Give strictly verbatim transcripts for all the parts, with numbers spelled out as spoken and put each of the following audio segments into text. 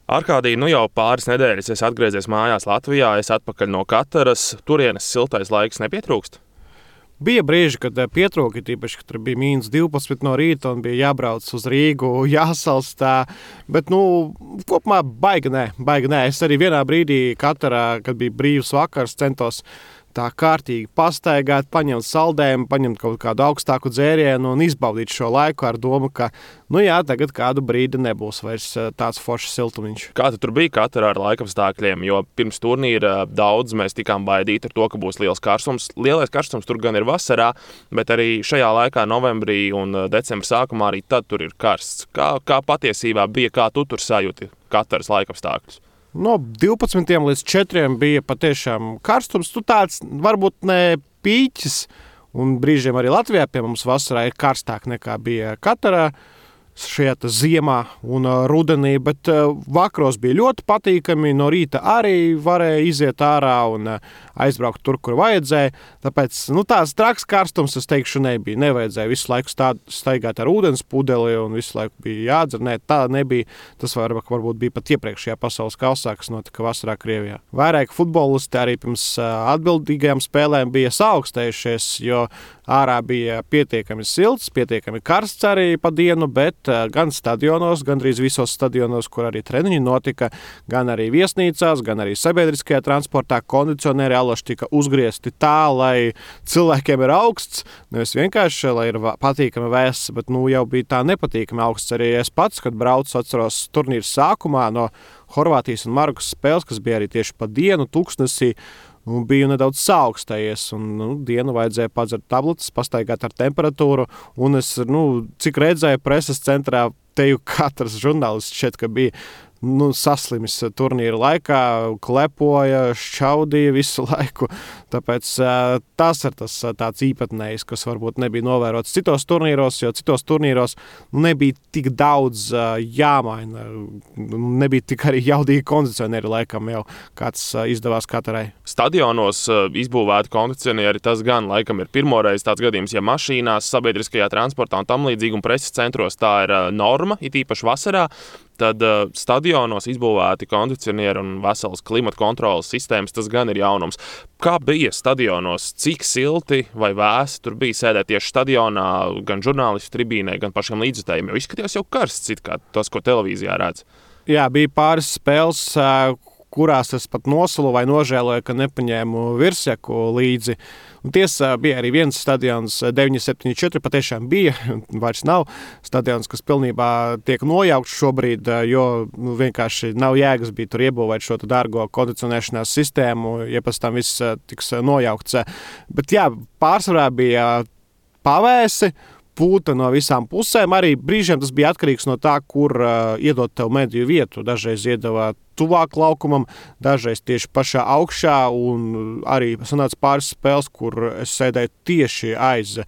Arkādij, nu jau pāris nedēļas es atgriezies mājās Latvijā, es atpakaļ no Kataras. Turienes siltais laiks nepietrūkst? Bija brīži, kad pietrūka, tīpaši, kad tur bija mīnus divpadsmit no rīta un bija jābrauc uz Rīgu, jāsalstā. Bet, nu, kopumā baigi nē, baigi nē. Es arī vienā brīdī Katarā, kad bija brīvs vakars, centos tā kārtīgi pastaigāt, paņemt saldējumu, paņemt kaut kādu augstāku dzērienu un izbaudīt šo laiku ar domu, ka, nu jā, tagad kādu brīdi nebūs vairs tāds foršs siltumiņš. Kā tu tur bija Katarā ar laikapstākļiem? Jo pirms turnīra daudz mēs tikām baidīti ar to, ka būs liels karstums. Lielais karstums tur gan ir vasarā, bet arī šajā laikā novembrī un decembra sākumā arī tad tur ir karsts. Kā, kā patiesībā bija, kā tu tur sajūti Kataras laikapstākļus? No divpadsmitiem līdz četriem bija patiešām karstums. Tu tāds varbūt ne pīķis, un brīžiem arī Latvijā pie mums vasarā ir karstāk nekā bija Katarā šajā ziemā un rudenī, bet vakaros bija ļoti patīkami. No rīta arī varēja iziet ārā un aizbraukt tur, kur vajadzēja. Tāpēc nu, tāds traks karstums, es teikšu, nebija. Nevajadzēja visu laiku stāt, staigāt ar ūdens pudeli un visu laiku bija jādzer. Nē, tā nebija. Tas var, varbūt bija pat iepriekšējā pasaules kausā, kas notika vasarā Krievijā. Vairāk futbolisti arī pirms atbildīgajām spēlēm bija saaugstējušies, jo ārā bija pietiekami silts, pietiekami karsts arī pa dienu, bet gan stadionos, gandrīz visos stadionos, kur arī treniņi notika, gan arī viesnīcās, gan arī sabiedriskajā transportā kondicionieri alaši tika uzgriezti tā, lai cilvēkiem ir augsts, nevis vienkārši, lai ir patīkami vēss, bet nu jau bija tā nepatīkami augsts. Arī es pats, kad braucu, atceros turnīru sākumā no Horvātijas un Marokas spēles, kas bija arī tieši pa dienu tuksnesī, un biju nedaudz saaugstējies, un nu, dienu vajadzēja padzert tabletes, pastaigāt ar temperatūru, un es, nu, cik redzēju preses centrā, teju katrs žurnālists šeit, ka bija nu, saslimis turnīra laikā, klepoja, šķaudīja visu laiku. Tāpēc tas ir tas tāds īpatnējs, kas varbūt nebija novērots citos turnīros, jo citos turnīros nebija tik daudz jāmaina. Nebija tik arī jaudīgi kondicionieri laikam jau, kāds izdevās Katarai. Stadionos izbūvēti kondicionieri, tas gan laikam ir pirmoreiz tāds gadījums, ja mašīnās, sabiedriskajā transportā un tam līdzīgi un preses centros tā ir norma, it īpaši vasarā. Tad uh, stadionos izbūvēti kondicionieri un veselas klimata kontrolas sistēmas, tas gan ir jaunums. Kā bija stadionos? Cik silti vai vēsi tur bija sēdēt tieši stadionā, gan žurnālistu tribīnē, gan pašiem līdzjutējiem? Jo izskatījās jau karsts, it kā tas, ko televīzijā redz. Jā, bija pāris spēles, kurās es pat nosulu vai nožēloju, ka nepaņēmu virsjaku līdzi. Un tiesa bija arī viens stadions, deviņi septiņi četri patiešām bija, vairs nav stadions, kas pilnībā tiek nojaukts šobrīd, jo nu, vienkārši nav jēgas bija tur iebūvēt šo dārgo kondicionēšanās sistēmu, ja pēc tam viss tiks nojaukts. Bet jā, pārsvarā bija pavēsi, pūta no visām pusēm. Arī brīžiem tas bija atkarīgs no tā, kur uh, iedot tev mediju vietu. Dažreiz iedavā tuvāk laukumam, dažreiz tieši pašā augšā, un arī sanāca pāris spēles, kur es sēdēju tieši aiz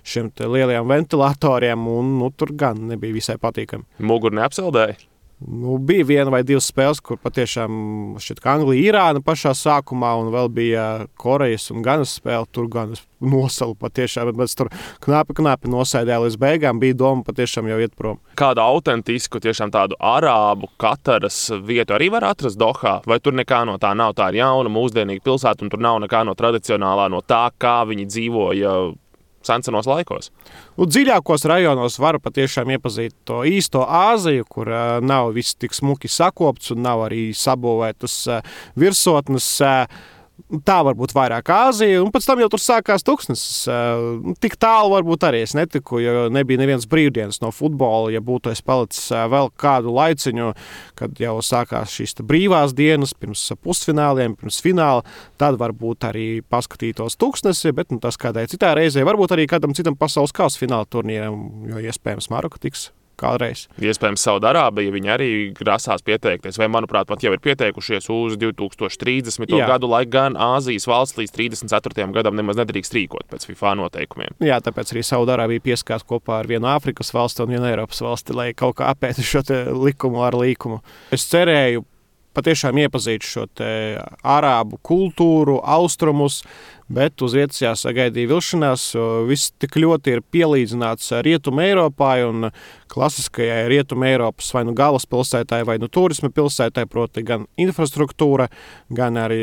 šiem lielajiem ventilatoriem, un nu, tur gan nebija visai patīkami. Muguru neapsaldēja? Nu, bija viena vai divas spēles, kur patiešām šķiet, ka Anglija, Irāna pašā sākumā, un vēl bija Korejas un Ganas spēle. Tur gan es nosalu patiešām, bet tur knapi, knapi nosēdēja līdz beigām. Bija doma patiešām jau iet prom. Kādu autentisku, tiešām tādu arābu Kataras vietu arī var atrast Dohā? Vai tur nekā no tā nav? Tā ir jauna, mūsdienīga pilsēta, un tur nav nekā no tradicionālā, no tā, kā viņi dzīvoja sensenos laikos? Nu, dziļākos rajonos var patiešām iepazīt to īsto Āziju, kur uh, nav viss tik smuki sakopts un nav arī sabūvētas uh, virsotnes. Uh, Tā varbūt vairāk Āzija, un pēc tam jau tur sākās tuksnesis. Uh, tik tālu varbūt arī es netiku, jo nebija neviens brīvdienas no futbola. Ja būtu es palicis uh, vēl kādu laiciņu, kad jau sākās šīs brīvās dienas, pirms pusfināliem, pirms fināla, tad varbūt arī paskatītos tuksnesi, bet nu, tas kādai citai reizei, varbūt arī kādam citam pasaules kausa fināla turnīram, jo iespējams Maroka tiks kādreiz. Iespējams, Saudārābija, viņi arī grasās pieteikties, vai, manuprāt, pat jau ir pieteikušies uz divi tūkstoši trīsdesmito gadu, lai gan Āzijas valsts līdz trīsdesmit ceturtajam gadam nemaz nedrīkst rīkot pēc FIFA noteikumiem. Jā, tāpēc arī Saudārābija pieskās kopā ar vienu Āfrikas valsti un vienu Eiropas valsti, lai kaut kā apētu šo likumu ar līkumu. Es cerēju patiešām iepazīt šo te arābu kultūru, austrumus, bet uz vietas jāsagaidīja vilšanās. Viss tik ļoti ir pielīdzināts Rietuma Eiropai un klasiskajai Rietuma Eiropas vai nu galvaspilsētai vai nu turisma pilsētai, proti gan infrastruktūra, gan arī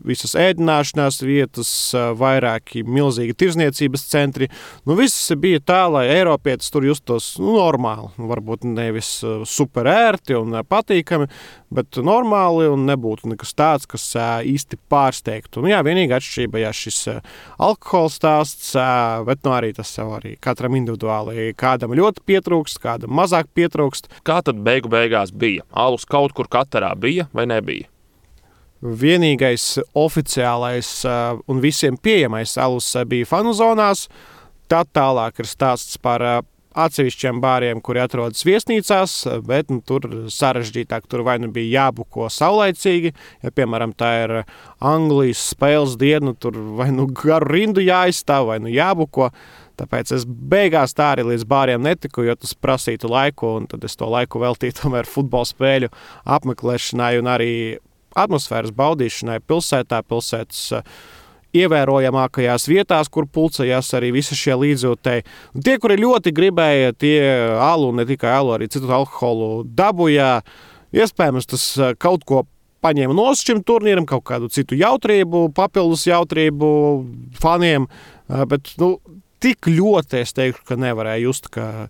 visas ēdināšanās vietas, vairāki milzīgi tirzniecības centri. Nu, viss bija tā, lai eiropietis tur justos nu, normāli. Varbūt nevis super ērti un patīkami, bet normāli un nebūtu nekas tāds, kas īsti pārsteigtu. Nu, jā, vienīgā atšķirība, jā, šis alkohola stāsts, bet nu, arī tas jau arī katram individuāli. Kādam ļoti pietrūkst, kādam mazāk pietrūkst. Kā tad beigu beigās bija? Alus kaut kur katarā bija vai nebija? Vienīgais oficiālais un visiem pieejamais alus bija fanu zonās. Tad tālāk ir stāsts par atsevišķiem bāriem, kuri atrodas viesnīcās, bet nu, tur sarežģītāk, tur vai nu bija jābuko saulaicīgi, ja, piemēram, tā ir Anglijas spēles diena, tur vai nu garu rindu jāizstāv, vai nu jābuko. Tāpēc es beigās tā arī līdz bāriem netiku, jo tas prasītu laiku, un tad es to laiku veltīju tomēr futbola spēļu apmeklēšanai un arī atmosfēras baudīšanai pilsētā, pilsētas ievērojamākajās vietās, kur pulcējās arī visi šie līdzjūtēji. Tie, kuri ļoti gribēja, tie alu, ne tikai alu, arī citu alkoholu dabujā. Iespējams, tas kaut ko paņēma no šim turnīram, kaut kādu citu jautrību, papildus jautrību faniem, bet, nu, tik ļoti es teiktu, ka nevarēja just, ka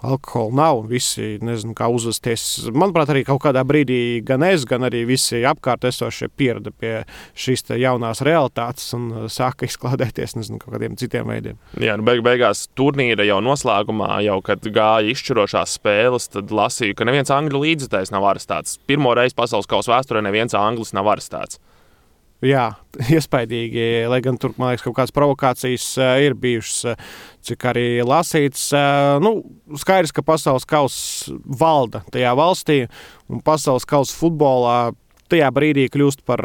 alkohola nav un visi nezinu, kā uzvesties. Manuprāt, arī kaut kādā brīdī gan es, gan arī visi apkārt esošie pierada pie šīs jaunās realitātes un sāka izklādēties nezinu, kaut kādiem citiem veidiem. Jā, nu beig beigās turnīra jau noslēgumā, jau kad gāja izšķirošās spēles, tad lasīju, ka neviens angļu līdzekļs nav arestēts. Pirmo reizi pasaules kausa vēsturē neviens anglis nav arestēts. Jā, iespaidīgi, lai gan tur, man liekas, kaut kādas provokācijas ir bijušas, cik arī lasīts. Nu, skaidrs, ka pasaules kauss valda tajā valstī, un pasaules kausa futbolā tajā brīdī kļūst par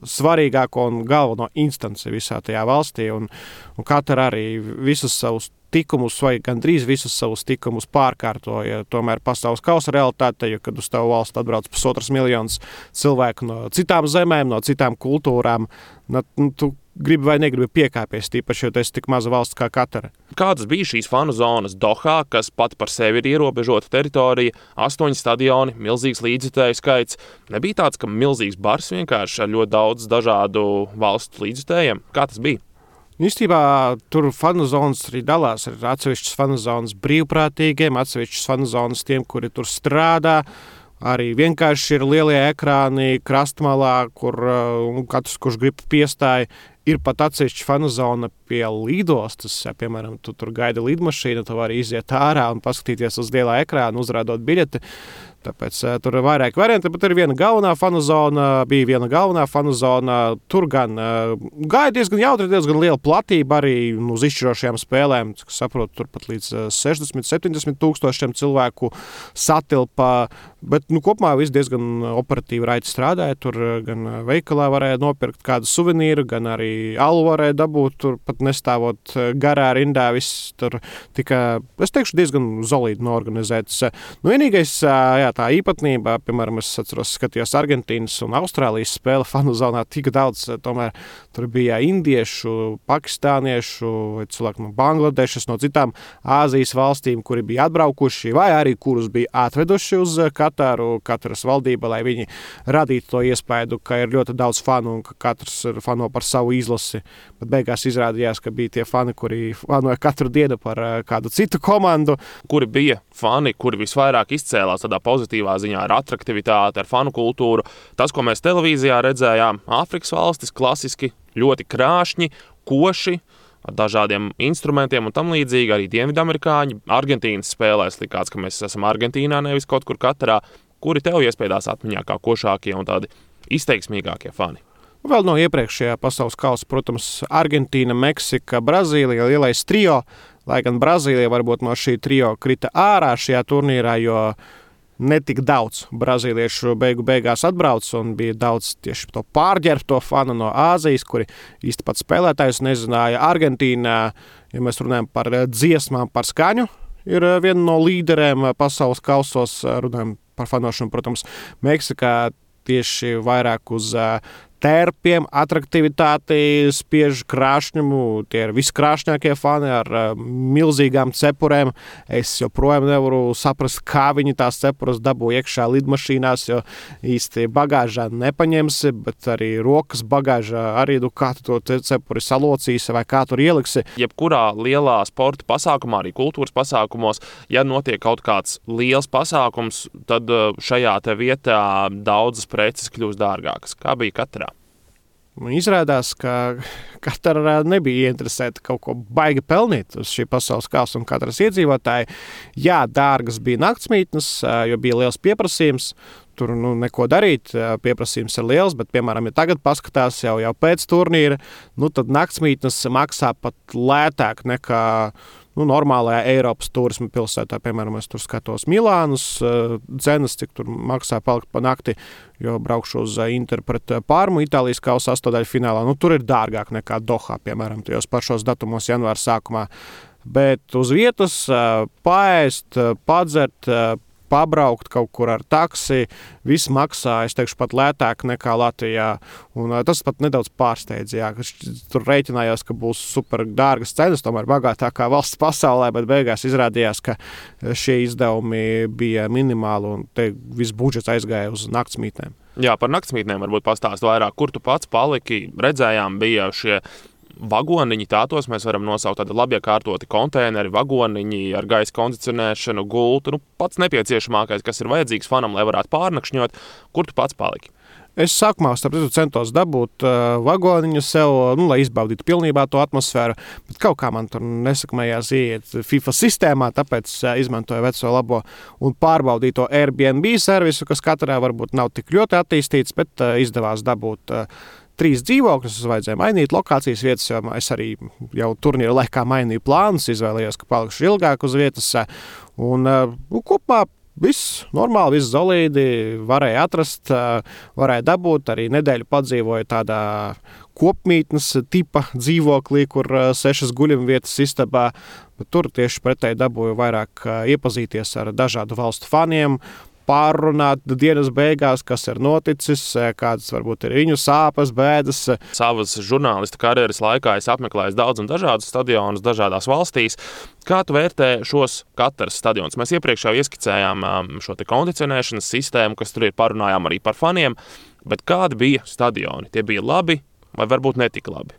svarīgāko un galveno instanci visā tajā valstī, un, un katra arī visus savus tikumus vai gandrīz visus savus tikumus pārkārtoja tomēr pasaules kausa realitāte, jo kad uz tavu valstu atbrauc pusotras miljonas cilvēku no citām zemēm, no citām kultūrām, nu, tu gribi vai negribi piekāpies, tīpaši, jo tu esi tik maza valsts kā Katara. Kādas bija šīs fanu zonas Dohā, kas pat par sevi ir ierobežota teritorija, astoņi stadioni, milzīgs līdzjutēju skaits? Nebija tāds, ka milzīgs bars vienkārši ar ļoti daudz dažādu valstu līdzjutējiem? Kā tas bija? Īstībā tur fanu zonas arī dalās. Ir atsevišķas fanu zonas brīvprātīgiem, atsevišķas fanu zonas tiem, kuri tur strādā. Arī vienkārši ir lielie ekrāni krastmalā, kur uh, katrs, kurš grib piestāja. Ir pat atsevišķa fanu zona pie lidostas. Ja, piemēram, tu tur gaida lidmašīna, tu vari iziet ārā un paskatīties uz lielā ekrāna, uzrādot biļeti. Tāpēc uh, tur ir vairāk varianti, bet ir viena galvenā fanu zona, bija viena galvenā fanu zona. Tur gan uh, gāja diezgan jautri, diezgan liela platība arī nu, uz izšķirošajām spēlēm. Cik saprotu, tur pat līdz uh, sešdesmit, septiņdesmit tūkstošiem cilvēku satilpa. Bet nu, kopumā viss diezgan operatīvi raiti strādāja. Tur gan veikalā varēja nopirkt kādu suvenīru, gan arī alu varēja dabūt. Tur pat nestāvot garā rindā. Viss tur tika, es teikšu, diezgan solīdi noorganizēts. Nu, vienīgais, jā, tā īpatnība, piemēram, es atceros, skatījos Argentīnas un Austrālijas spēle fanu zonā tik daudz, tomēr tur bija indiešu, pakistāniešu, cilvēki no Bangladešas, no citām Āzijas valstīm, kuri bija atbraukuši vai arī kurus bija atveduši uz Katāru, Kataras valdība, lai viņi radītu to iespēju, ka ir ļoti daudz fanu un ka katrs ir fano par savu izlasi. Bet beigās izrādījās, ka bija tie fani, kuri fanoja katru dienu par kādu citu komandu. Kuri bija fani, kuri visvairāk izcēlās tādā pozitīvā ziņā ar atraktivitāti, ar fanu kultūru. Tas, ko mēs televīzijā redzējām, Āfrikas valstis klasiski, ļoti krāšņi, koši, ar dažādiem instrumentiem un tam līdzīgi, arī dienvidamerikāņi. Argentīnas spēlēs likās, ka mēs esam Argentīnā, nevis kaut kur Katarā. Kuri tev iespējās atmiņā kā košākie un tādi izteiksmīgākie fani? Vēl no iepriekšējā pasaules kausa, protams, Argentīna, Meksika, Brazīlija, lielais trio, lai gan Brazīlija varbūt no šī trio krita ārā šajā turnīrā, jo netik daudz brazīliešu beigu beigās atbrauc un bija daudz tieši to pārģērbto fanu no Āzijas, kuri īsti pat spēlētājus nezināja. Argentīnā, ja mēs runājam par dziesmām, par skaņu, ir viena no līderēm pasaules kausos, runājam par fanošanu, protams, Meksikā tieši vairāk uz tērpiem, atraktivitāti, spiež krāšņumu. Tie ir viskrāšņākie fani ar uh, milzīgām cepurēm. Es joprojām nevaru saprast, kā viņi tās cepuras dabū iekšā lidmašīnās, jo īsti bagāžā nepaņemsi, bet arī rokas bagāžā arī, nu, kā tu to cepuri salocīsi vai kā tur ieliksi. Jebkurā lielā sporta pasākumā, arī kultūras pasākumos, ja notiek kaut kāds liels pasākums, tad šajā te vietā daudzas preces kļūst dārgākas. Kā bija Katarā? Izrādās, ka Katara nebija ieinteresēta kaut ko baigi pelnīt uz šī pasaules kausa un Kataras iedzīvotāji. Jā, dārgas bija naktsmītnes, jo bija liels pieprasījums. Tur nu, neko darīt, pieprasījums ir liels, bet, piemēram, ja tagad paskatās jau, jau pēc turnīra, nu, tad naktsmītnes maksā pat lētāk nekā nu, normālajā Eiropas turisma pilsētā. Piemēram, es tur skatos Milānus cenas, cik tur maksā palikt pa nakti, jo braukšu uz Inter pret Parmu Itālijas kausa astotdaļu finālā. Nu, tur ir dārgāk nekā Dohā, piemēram, tajos pašos datumos janvāra sākumā. Bet uz vietas paēst, padzert, pabraukt kaut kur ar taksi, viss maksā, es teikšu, pat lētāk nekā Latvijā. Un tas pat nedaudz pārsteidz, jā, ka tur rēķinājās, ka būs super dārgas cenas, tomēr bagātākā valsts pasaulē, bet beigās izrādījās, ka šie izdevumi bija minimāli un te viss budžets aizgāja uz naktsmītnēm. Jā, par naktsmītnēm varbūt pastāst vairāk, kur tu pats paliki, redzējām bija šie vagoniņi, tātos mēs varam nosaukt tādi labi iekārtoti konteineri, vagoniņi ar gaisa kondicionēšanu, gultu, nu, pats nepieciešamākais, kas ir vajadzīgs fanam, lai varētu pārnakšņot. Kur tu pats paliki? Es sākumā starp citu centos dabūt uh, vagoniņu sev, nu, lai izbaudītu pilnībā to atmosfēru, bet kaut kā man tur nesakmējās iet FIFA sistēmā, tāpēc uh, izmantoju veco labo un pārbaudīto Airbnb servisu, kas katrā varbūt nav tik ļoti attīstīts, bet uh, izdevās dabūt uh, trīs dzīvokļus, es vajadzēja mainīt lokācijas vietas, jo es arī jau turnīra laikā mainīju plānus, izvēlējos, ka palikšu ilgāk uz vietas. Un nu, kopumā viss normāli, viss solīdi, varēja atrast, varēja dabūt, arī nedēļu padzīvoju tādā kopmītnes tipa dzīvoklī, kur sešas guļamvietas istabā, bet tur tieši pretēji dabūju vairāk iepazīties ar dažādu valstu faniem, pārrunāt dienas beigās, kas ir noticis, kādas varbūt ir viņu sāpes, bēdas. Savas žurnālista karjeras laikā es apmeklēju daudz un dažādus stadionus dažādās valstīs. Kā tu vērtē šos Kataras stadionus? Mēs iepriekš jau ieskicējām šo te kondicionēšanas sistēmu, kas tur ir, parunājām arī par faniem, bet kādi bija stadioni? Tie bija labi vai varbūt netik labi?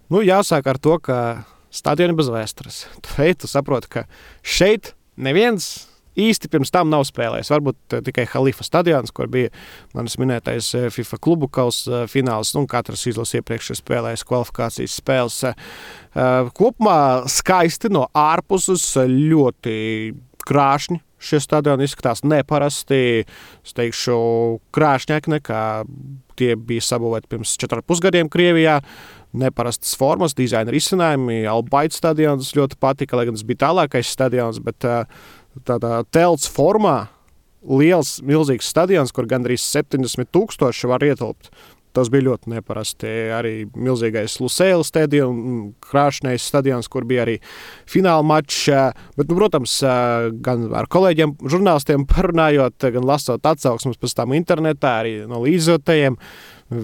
Nu, jāsāk ar to, ka stadioni bez vēstures. Tu ej, tu saproti, ka šeit neviens īsti pirms tam nav spēlējis. Varbūt tikai Halifa stadions, kur bija manis minētais FIFA klubu kausa fināls, un katrs izlases iepriekš ir spēlējis kvalifikācijas spēles. Kopumā skaisti no ārpuses, ļoti krāšņi. Šie stadioni izskatās neparasti, es teikšu, krāšņāki nekā tie bija sabūvēti pirms četriem pusgadiem Krievijā. Neparastas formas, dizaina risinājumi. Al-Bayt stadions ļoti patika, lai gan tas bija tālākais stadions, bet tādā telts formā liels, milzīgs stadions, kur gandrīz septiņdesmit tūkstoši var ietilpt. Tas bija ļoti neparasti. Arī milzīgais Lusail stadions, krāšņais stadions, kur bija arī fināla mačs. Bet, nu, protams, gan ar kolēģiem, žurnālistiem parunājot, gan lasot atsauksmes pēc tam internetā, arī no līdzjūtējiem,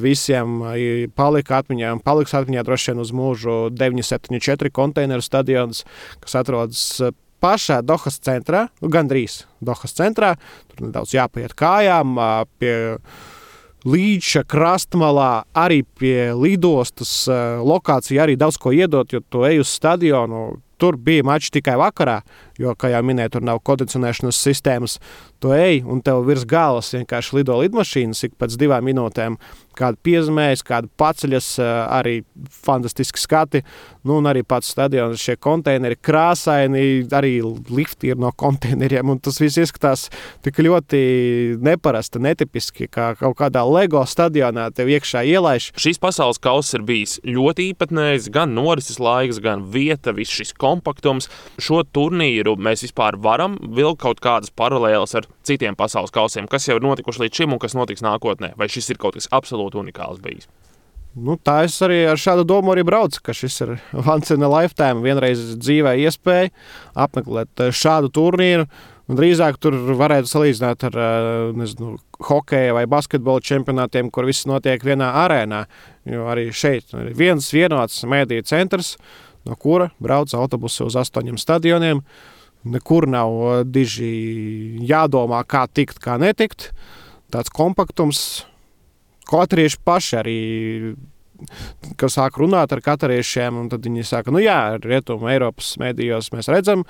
visiem palika atmiņā, un paliks atmiņā droši vien uz mūžu deviņi septiņi četri konteineru stadions, kas atrodas pašā Dohas centrā, nu, gandrīz Dohas centrā. Tur nedaudz jāpaiet kājām pie līča krastmalā, arī pie lidostas lokācija arī daudz ko iedot, jo tu ej uz stadionu. Tur bija mači tikai vakarā, jo, kā jau minēju, tur nav kondicionēšanas sistēmas. Tu ej, un tev virs galvas vienkārši lido lidmašīnas ik pēc divām minūtēm. Kāda piezmējas, kāda paceļas, arī fantastiski skati. Nu, un arī pats stadions, šie konteineri krāsaini, arī lifti ir no konteineriem, un tas viss izskatās tik ļoti neparasti, netipiski, kā kaut kādā Lego stadionā tev iekšā ielaiž. Šīs pasaules kauss ir bijis ļoti īpatnējs, gan norises laiks, gan vieta, viss šis kompaktums. Šo turnīru mēs vispār varam vilkt kaut kādas paralēlas ar citiem pasaules kausiem, kas jau ir notikuši līdz šim un kas notiks nākotnē? Vai šis ir kaut kas absolūti unikāls bijis? Nu, tā es arī ar šādu domu arī braucu, ka šis ir once in a lifetime, vienreiz dzīvē iespēja apmeklēt šādu turnīru. Un drīzāk tur varētu salīdzināt ar nezinu, hokeja vai basketbola čempionātiem, kur viss notiek vienā arēnā. Jo arī šeit ir viens vienots mēdīju centrs, no kura brauc autobusi uz astoņiem stadioniem. Nekur nav diži jādomā, kā tikt, kā netikt. Tāds kompaktums, katarieši paši arī, kad sāk runāt ar katariešiem, un tad viņi saka, nu jā, Rietumu Eiropas mēdījos mēs redzam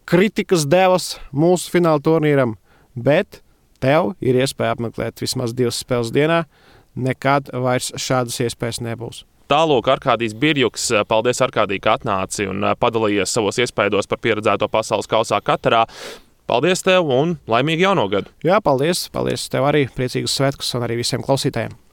kritikas devas mūsu fināla turnīram, bet tev ir iespēja apmeklēt vismaz divas spēles dienā, nekad vairs šādas iespējas nebūs. Tālūk, Arkādijs Birjuks, paldies Arkādij, ka atnāci un padalījies savos iespaidos par pieredzēto pasaules kausā Katarā. Paldies tev un laimīgu jauno gadu! Jā, paldies, paldies tev arī, priecīgus svētkus un arī visiem klausītājiem!